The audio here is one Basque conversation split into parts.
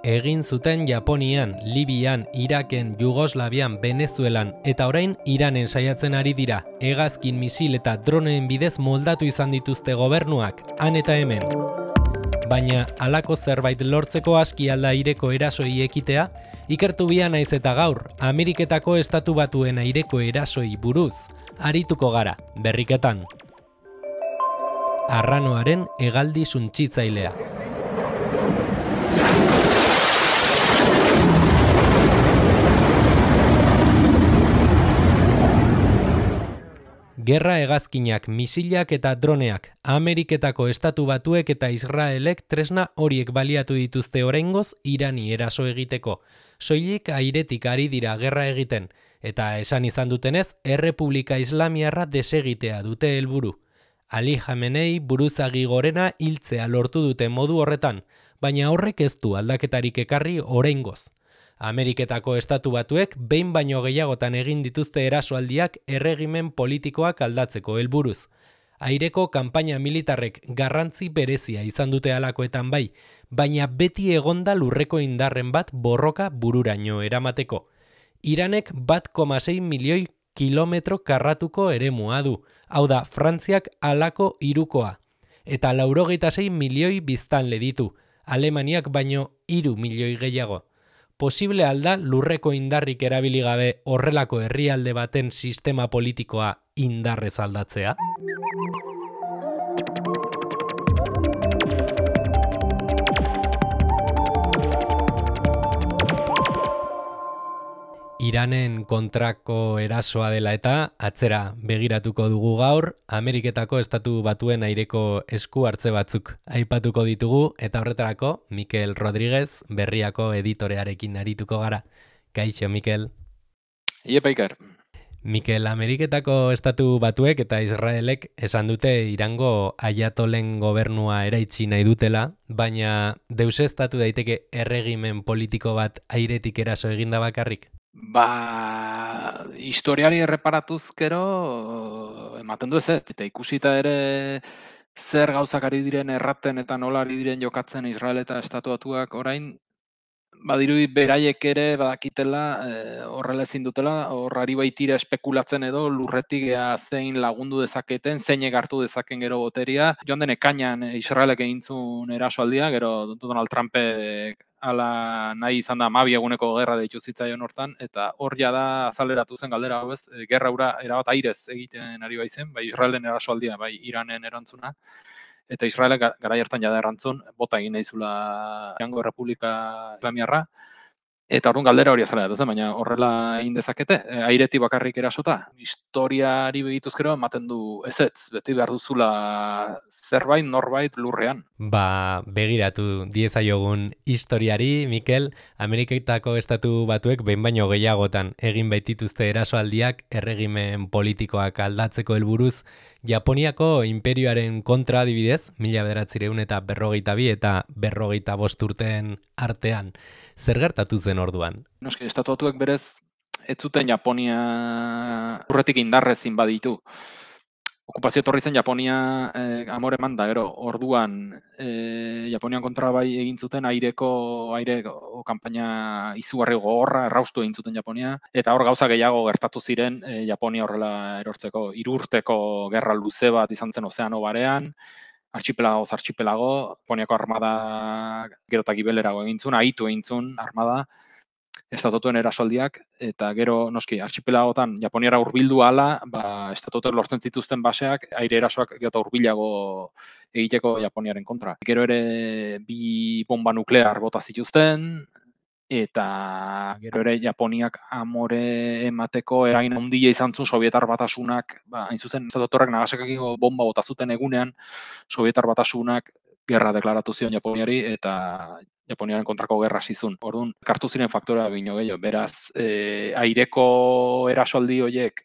Egin zuten Japonian, Libian, Iraken, Jugoslavian, Venezuelan eta orain Iranen saiatzen ari dira. Hegazkin, misil eta droneen bidez moldatu izan dituzte gobernuak, han eta hemen. Baina halako zerbait lortzeko aski alda aireko erasoi ekitea, ikertu bia naiz eta gaur, Ameriketako Estatu Batuen aireko erasoi buruz, arituko gara, berriketan. Arranoaren hegaldi suntsitzailea. Gerra hegazkinak, misilak eta droneak, Ameriketako Estatu Batuek eta Israelek tresna horiek baliatu dituzte oraingoz Irani eraso egiteko. Soilik airetik ari dira gerra egiten, eta esan izan dutenez, Errepublika Islamiarra desegitea dute helburu. Ali Khamenei buruzagi gorena hiltzea lortu dute modu horretan, baina horrek ez du aldaketarik ekarri oraingoz. Ameriketako Estatu Batuek behin baino gehiagotan egin dituzte erasoaldiak erregimen politikoak aldatzeko helburuz. Aireko kanpaina militarrek garrantzi berezia izan dute halakoetan bai, baina beti egonda lurreko indarren bat borroka bururaino eramateko. Iranek 1,6 milioi kilometro karratuko eremua du, hau da Frantziak halako hirukoa, eta 86 milioi biztanle ditu, Alemaniak baino 3 milioi gehiago. Posible alda lurreko indarrik erabili gabe horrelako herrialde baten sistema politikoa indarrez aldatzea? Iranen kontrako erasoa dela eta atzera begiratuko dugu gaur, Ameriketako Estatu Batuen aireko esku hartze batzuk aipatuko ditugu eta horretarako Mikel Rodríguez Berriako editorearekin arituko gara. Kaixo, Mikel. Iepa Iker. Mikel, Ameriketako Estatu Batuek eta Israelek esan dute Irango aiatolen gobernua eraitsi nahi dutela, baina deuseztatu daiteke erregimen politiko bat airetik eraso eginda bakarrik? Historiari erreparatuz gero ematen du ez, eta ikusita ere zer gauzak ari diren erraten eta nola ari diren jokatzen Israel eta Estatu Batuak orain, badirudi beraiek ere badakitela horrela ezin dutela, horrari baitira espekulatzen edo lurretik zein lagundu dezaketen, zeinek hartu dezaken gero boteria. Joan den ekainan Israelek egintzun erasoaldia, gero Donald Trumpek ala nahi izan da 12 eguneko gerra deitu zitzaion hortan, eta hor jada azaleratu zen galdera hau ez, gerra hura erabat airez egiten ari baizen, bai Israelen erasoaldia, bai Iranen erantzuna, eta Israelek garai hartan jada erantzun, bota egin nahi zula Irango Errepublika Islamiarra, eta orduan galdera hori azalera duzen, baina horrela egin dezakete, airetik bakarrik erasota. Historiari begituz gero ematen du ezetz, beti behar duzula zerbait, norbait lurrean. Begiratu diezaiogun historiari, Mikel, Ameriketako Estatu Batuek behin baino gehiagotan egin baitituzte erasoaldiak erregimen politikoak aldatzeko helburuz, Japoniako inperioaren kontra adibidez, 1942 eta 45 urteen artean. Zer gertatu zen orduan? Noski, Estatu Batuek berez ez zuten Japonia urretik indarrez inbaditu. Okupazio etorri zen Japonia amore eman da, gero, orduan Japonian kontra bai egin zuten aire kanpaina izugarri gogorra erraustu egin zuten Japonia, eta hor gauza gehiago gertatu ziren Japonia horrela erortzeko. 3 urteko gerra luze bat izan zen ozeano barean, archipelago, Japoniako armada gero eta gibelerago egin zuen, ahitu egin zuen armada, Estatutuen erasoaldiak, eta gero, noski, archipelagotan Japoniara hurbildu ahala, Estatutuen lortzen zituzten baseak, aire erasoak gero hurbilago egiteko Japoniaren kontra. Gero ere 2 bomba nuklear bota zituzten, eta gero ere Japoniak amore emateko eragin handia izan zuen Sobietar Batasunak, hain zuzen, Estatutuak Nagasakiko bomba bota zuten egunean, Sobietar Batasunak gerra deklaratu zion Japoniari, eta Japoniaren kontrako gerra zizun. Orduan, kartu ziren faktora bino gehiago. Beraz, aireko erasoaldi horiek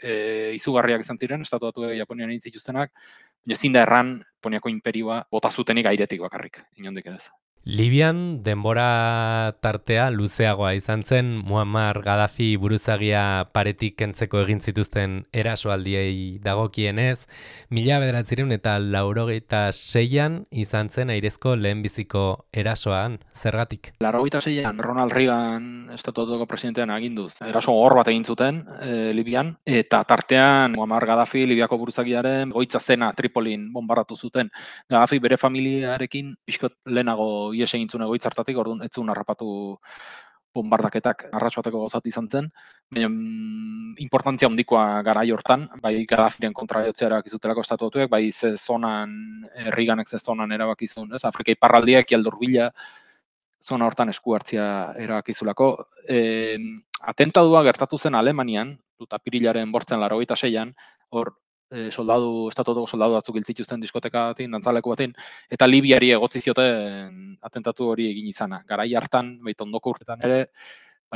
izugarriak izan ziren, Estatu Batuek Japonian egin zituztenak, baina ezin da erran Japoniako inperioa bota zutenik airetik bakarrik, inondik ere ez. Libian denbora tartea luzeagoa izan zen Muammar Gaddafi buruzagia paretik kentzeko egin zituzten erasoaldiei dagokienez, 1986an izan zen airezko lehenbiziko erasoan, zergatik? 86an Ronald Reagan estatutuko presidentean aginduz. Eraso gogor bat egin zuten Libian, eta tartean Muammar Gaddafi Libiako buruzagiaren goitza zena Tripolin bombardatu zuten. Gaddafi bere familiarekin pixkot lehenago ihes egin zuen egoitza hartatik, orduan ez zuen harrapatu bombardaketak arratsa bateko gozat izan zen. Baina importantzia handikoa garai hortan, bai Gaddafiren kontra jotzea erabaki zutelako estatutuek, bai ze zonan Reaganek ze zonan erabaki zuen, ez? Afrika iparraldia, Ekialde Hurbila zona hortan esku hartzea erabakizulako. Atentadua gertatu zen Alemanian, apirilaren 1986an, hor estatutuko soldadu batzuk hil zituzten diskoteka batean, dantzaleku batean, eta Libiari egotzi zioten atentatu hori egin izana. Garai hartan, ondoko urtetan ere,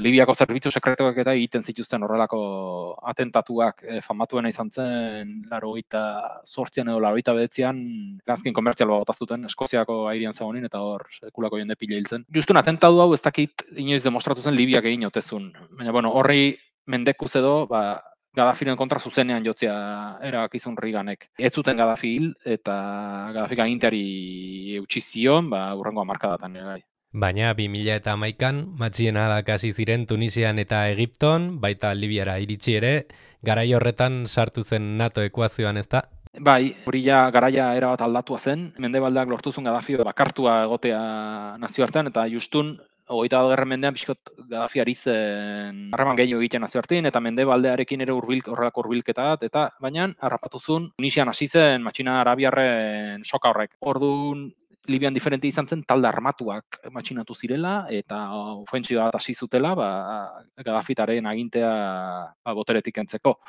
Libiako zerbitzu sekretuak eta egiten zituzten horrelako atentatuak. Famatuena izan zen 88an edo 89an gazkin komertzial bat bota zuten Eskoziako airean zegoenin, eta hor sekulako jende pila hil zen. Justun atentatu hau ez dakit inoiz demostratu zen Libiak egin otezun. Baina, horri mendekuz edo, Gaddafiren kontra zuzenean jotzea erabakizun Reaganek. Ez zuten Gaddafi hil, eta Gaddafik aginteari eutsi zion, hurrengo hamarkadatan ere bai. Baina 2011an matxienadak hasi ziren Tunisian eta Egipton, baita Libiara iritsi ere, garai horretan sartu zen NATO ekuazioan, ezta? Bai, hori ja garaia erabat aldatua zen. Mendebaldeak lortu zuen Gaddafi bakartua egotea nazioartean, eta justun 21. mendean pixkot Gaddafi ari zen harreman gehiago egiten nazioartean, eta Mendebaldearekin ere horrelako hurbilketa bat, eta baina harrapatu zuen Tunisian hasi zen matxina arabiarren soka horrek. Orduan Libian diferente izan zen talde armatuak matxinatu zirela, eta ofentsiba bat hasi zutela, Gaddafitaren agintea boteretik kentzeko.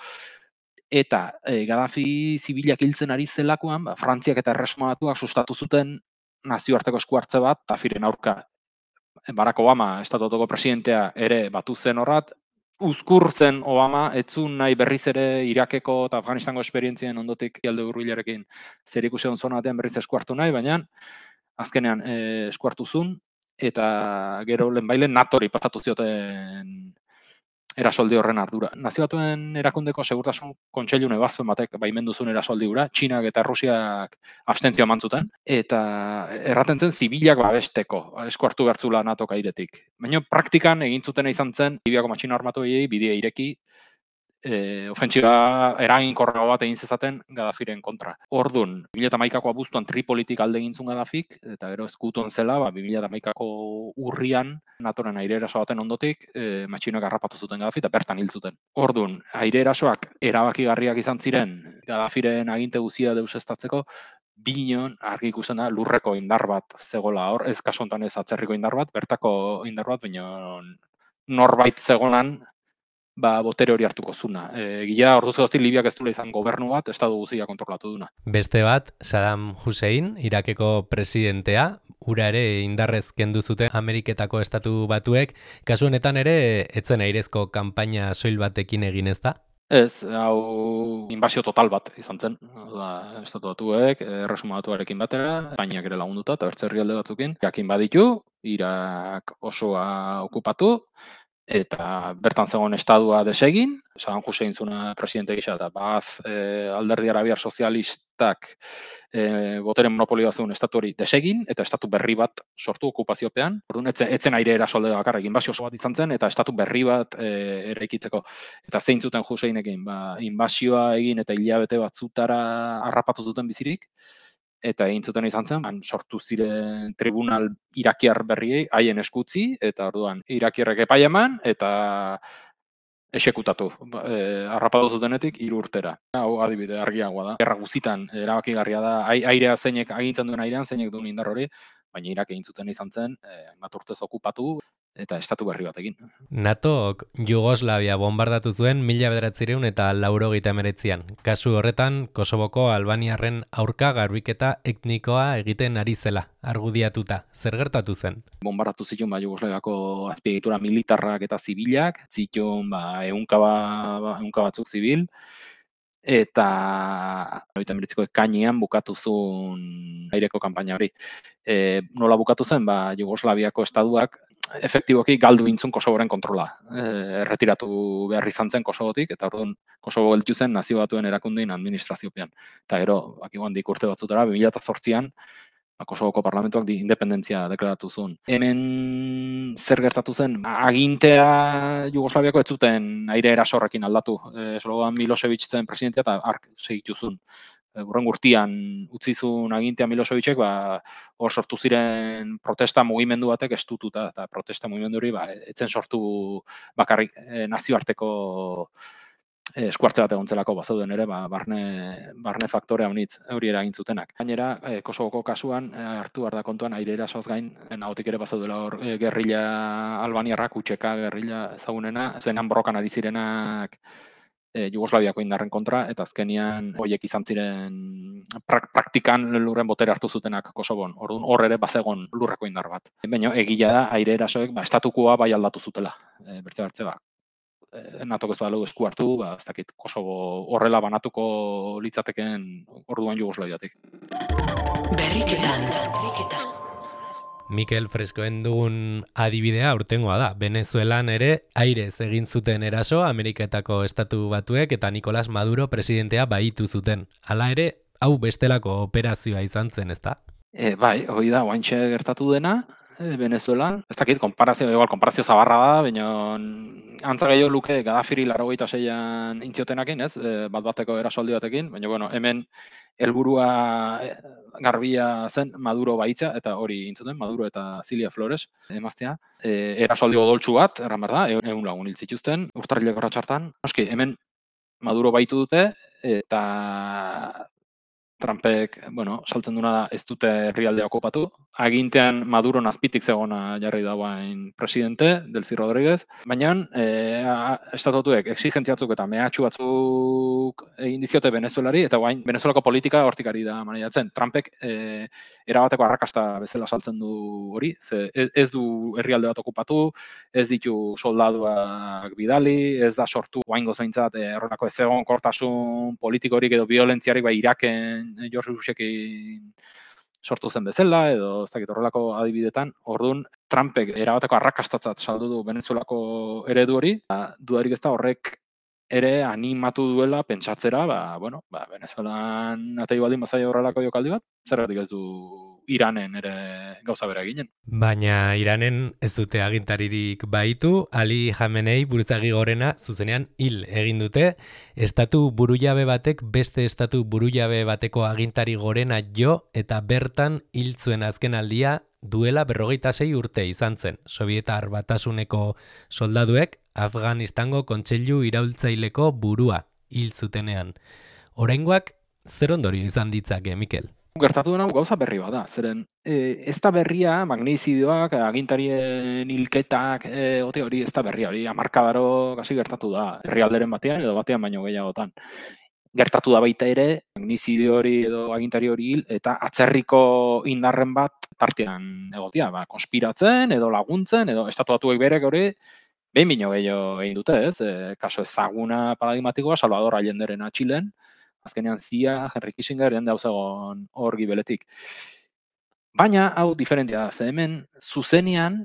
Eta Gaddafi zibilak hiltzen ari zelakoan, Frantziak eta Erresuma Batuak sustatu zuten nazioarteko esku hartze bat, Gaddafiren aurka. Barack Obama, estatutuko presidentea ere batu zen horrat, uzkur zen Obama, etzun nahi berriz ere Irakeko eta Afganistango esperientzien ondotik Ekialde Hurbilarekin zerikusi on zona batean berriz esku hartu nahi, baina azkenean esku hartu zuen, eta gero lehenbailen NATOri pasatu zioten erasoldi horren ardura. Nazio Batuen erakundeko segurtasun kontseilun ebazpen batek baimendu zuen erasoldi hura, Txinak eta Errusiak abstentzioa eman zuten, eta erraten zen zibilak babesteko, esku hartu bertzula NATOk airetik. Baina praktikan egin zutena izan zen Libiako matxina armatuei bidea ireki, ofentsiba eraginkorrago bat egin zezaten Gaddafiren kontra. Ordun, 2011ko abuztuan Tripolitik alde egin zuen Gaddafik, eta gero ezkutuan zela, 2011ko urrian NATOren aire eraso baten ondotik, matxinoak harrapatu zuten Gaddafi eta bertan hil zuten. Ordun, aire erasoak erabakigarriak izan ziren Gaddafiren aginte guztia deuseztatzeko, binon argi ikusten da lurreko indar bat zegola hor, ez kasu honetan ez atzerriko indar bat, bertako indar bat, baina norbait zegonan botere hori hartuko zuna. Gila orduz geroztik Libiak ez duela izan gobernu bat, estatu guztia kontrolatu duna. Beste bat, Saddam Hussein, Irakeko presidentea, ura ere indarrez kendu zuten Ameriketako estatu batuek, kasu honetan ere, etzen airezko kanpaina soil batekin egin, ez da? Ez, hau inbasio total bat izan zen. Estatu batuek, Erresuma Batuarekin batera, Espainiak ere lagunduta, eta bertze herrialde batzukin, jakin baditu, Irak osoa okupatu, eta bertan zegoen estadua desegin, Saddam Hussein zuna presidente gisa, eta alderdi arabiar sozialistak botere monopolioa zuen estatu hori desegin, eta estatu berri bat sortu okupaziopean. Orduan, etzen aire erasolde bakarrik, inbasio oso bat izan zen, eta estatu berri bat eraikitzeko. Eta zein zuten Husseinekin, inbasioa egin eta hilabete batzutara harrapatu zuten bizirik, eta egin zuten izan zen, sortu ziren tribunal irakiar berriei, haien eskutzi, eta orduan irakiarrek epai eman, eta esekutatu. Harrapatu zutenetik 3 urtera. Hau adibide argiagoa da. Gerra guzitan erabakigarria da, airea zeinek agintzen duen airean, zeinek duen indar hori, baina Irak egin zuten izan zen, bat urtez okupatu, eta estatu berri batekin. NATOk Jugoslavia bombardatu zuen 1989an. Kasu horretan, Kosovoko albaniarren aurka garbiketa etnikoa egiten ari zela, argudiatuta. Zer gertatu zen? Bombardatu zituen Jugoslaviako azpiegitura militarrak eta zibilak, zituen ehunka batzuk zibil, eta 19 ekainean bukatu zuen aireko kanpaina hori. Nola bukatu zen, Jugoslaviako estatuak efektiboki galdu intzun Kosovoren kontrola. Erretiratu behar izan zen Kosovotik, eta orduan Kosovo gelditu zen nazio batuen erakundein administraziopean. Eta gero, handik urte batzutara, 2008an, Kosovoko parlamentuak independentzia deklaratu zuen. Hemen zer gertatu zen? Agintea Jugoslaviako ez zuten aire erasorrekin aldatu. Slobodan Milosevic zen presidentea eta ark segitu zuen. Hurren urtean utzi zuen agintea Milosevicek, hor sortu ziren protesta mugimendu batek estututa, eta protesta mugimendu hori etzen sortu bakarrik nazioarteko eskuartze bat egon zelako bazauden ere, barne faktore honitz hori eragin zutenak. Gainera, Kosovoko kasuan hartu behar da kontuan aire erasoaz gain, nahotik ere bazaudela hor gerrilla albaniarrak, utxeka gerrilla ezagunena, zenan borrokan ari zirenak Jugoslaviako indarren kontra, eta azkenian horiek izan ziren praktikan lurren botere hartu zutenak Kosovon. Orduan hor ere bazegon lurreko indar bat. Baina egia da aire erasoek estatukoa bai aldatu zutela. Bertze NATOk ez balu esku hartu, ez dakit Kosovo horrela banatuko litzateken orduan Jugoslaviatik. Berriketan. Mikel Freskoen dugun adibidea urtengoa da. Venezuelan ere airez egin zuten eraso Ameriketako estatu batuek eta Nicolás Maduro presidentea baitu zuten. Hala ere, hau bestelako operazioa izan zen, ezta? Bai, hori da, oaintxe gertatu dena, Venezuelan. Ez dakit, konparazio zabarra da, baina antza gehiago luke Gaddafiri 86an intziotenakin, ez? Bat-bateko erasoldi batekin, baina bueno, hemen helburua garbia zen Maduro baitza, eta hori intzuten, Maduro eta Cilia Flores emaztea. Erasoldi odoltsu bat, erran behar da, 100 lagun hil zituzten, urtarrileko ratxartan. Noski, hemen Maduro baitu dute, eta Trumpek, saltzen duna da ez dute herrialdea okupatu. Agintean Maduro azpitik zegona jarri dagoain presidente, Delcy Rodríguez. Baina, estatutuek exigentziatzuk eta mehatxu batzuk egin dizkiote Venezuelari, eta guain Venezuelako politika hortikari da maneiatzen. Trumpek erabateko arrakasta bezala saltzen du hori, ze ez du herrialde bat okupatu, ez ditu soldaduak bidali, ez da sortu guaingoz behintzat horrelako ez egon kortasun politikorik edo violentziarik Iraken George Bushekin sortu zen bezala, edo ez dakit horrelako adibidetan. Orduan, Trumpek erabateko arrakastatzat saldu du Venezuelako eredu hori, dudarik ez da horrek ere animatu duela pentsatzera, Venezuelan atei baldin bazaio horrelako jokaldi bat, zergatik ez du Iranen ere gauza bera eginen. Baina Iranen ez dute agintaririk baitu, Ali Khamenei buruzagi gorena zuzenean hil egin dute, estatu burujabe batek beste estatu burujabe bateko agintari gorena jo eta bertan hil zuen azken aldia duela 56 urte izan zen. Sobietar Batasuneko soldaduek Afganistango kontseilu iraultzaileko burua hil zutenean. Oraingoak zer ondorio izan ditzake, Mikel? Gertatu dena gauza berri bada, zeren ez da berria, magnizidioak, agintarien hilketak, hori ez da berria, hori hamarkadaro kasi gertatu da, herrialderen batean edo batean baino gehiagotan. Gertatu da baita ere, magnizidio hori edo agintari hori hil, eta atzerriko indarren bat tartean egotia, konspiratzen edo laguntzen, edo estatuatuek berek hori, behin bino gehiago egin dute, ez? Kaso ezaguna paradigmatikoa, Salvador Allenderen Txilen, azkenean CIA, Henry Kissinger, dauzegon hor gibeletik. Baina, hau diferentia da, ze hemen zuzenean,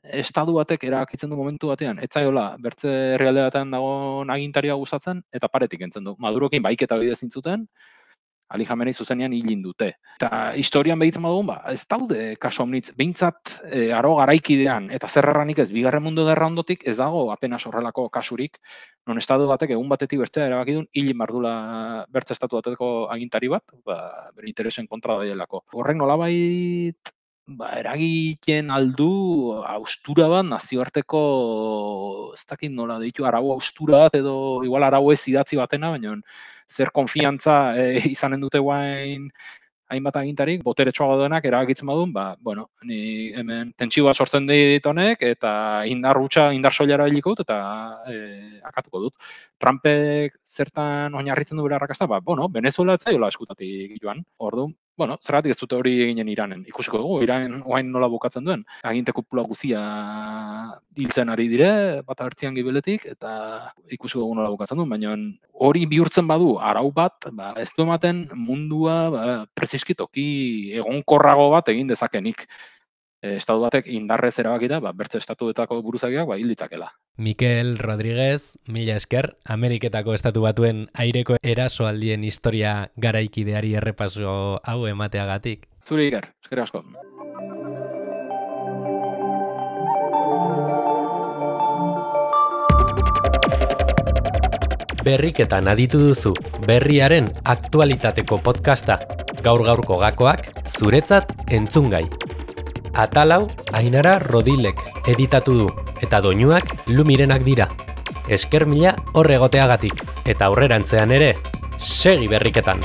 estatu batek erabakitzen du momentu batean, etzaiola, bertze herrialde batean dagoen agintaria gustatzen, eta paretik entzen du. Madurokin baiketa bidez zintzuten, Ali Khamenei zuzenean hilin dute. Eta historian behitzen badugun, ez daude kaso omnitz, behintzat aro garaikidean, eta zerrarranik ez, bigarren mundu gerra ondotik, ez dago apenas horrelako kasurik, non estatu batek egun batetik bestea erabakidun, hilin bardula bertze estatu bateko agintari bat, bere interesen kontra daielako. Horrek nolabait eragiten aldu austura bat, nazioarteko, ez dakit nola ditu, arau austura bat, edo igual arau ez idatzi batena, baina zer konfiantza izanen dute guain hainbat agintarik, boteretsuago denak erabakitzen badun, ni hemen tentsioa sortzen dit honek, eta indar soilara biliko dut, eta akatuko dut. Trumpek zertan oinarritzen du bere arrakasta, Venezuela etzaiola eskutatik joan. Orduan, zergatik ez dute hori eginen Iranen. Ikusiko dugu, Iran orain nola bukatzen duen. Aginte kupula guzia hiltzen ari dire, bat hartzian gibeletik, eta ikusiko dugu nola bukatzen duen, baina hori bihurtzen badu arau bat, ez du ematen mundua preziski toki egonkorrago bat egin dezakenik. Estatu batek indarrez erabakita, bertze estatuetako buruzagiak hil ditzakela. Mikel Rodríguez, mila esker, Ameriketako estatu batuen aireko erasoaldien historia garaikideari errepaso hau emateagatik. Zure Iker, eskerrik asko. Berriketan aditu duzu, berriaren aktualitateko podcasta. Gaur-gaurko gakoak zuretzat entzungai. Atalau Ainara Rodilek editatu du, eta doinuak Lumirenak dira. Esker mila hor egoteagatik, eta aurrerantzean ere, segi berriketan!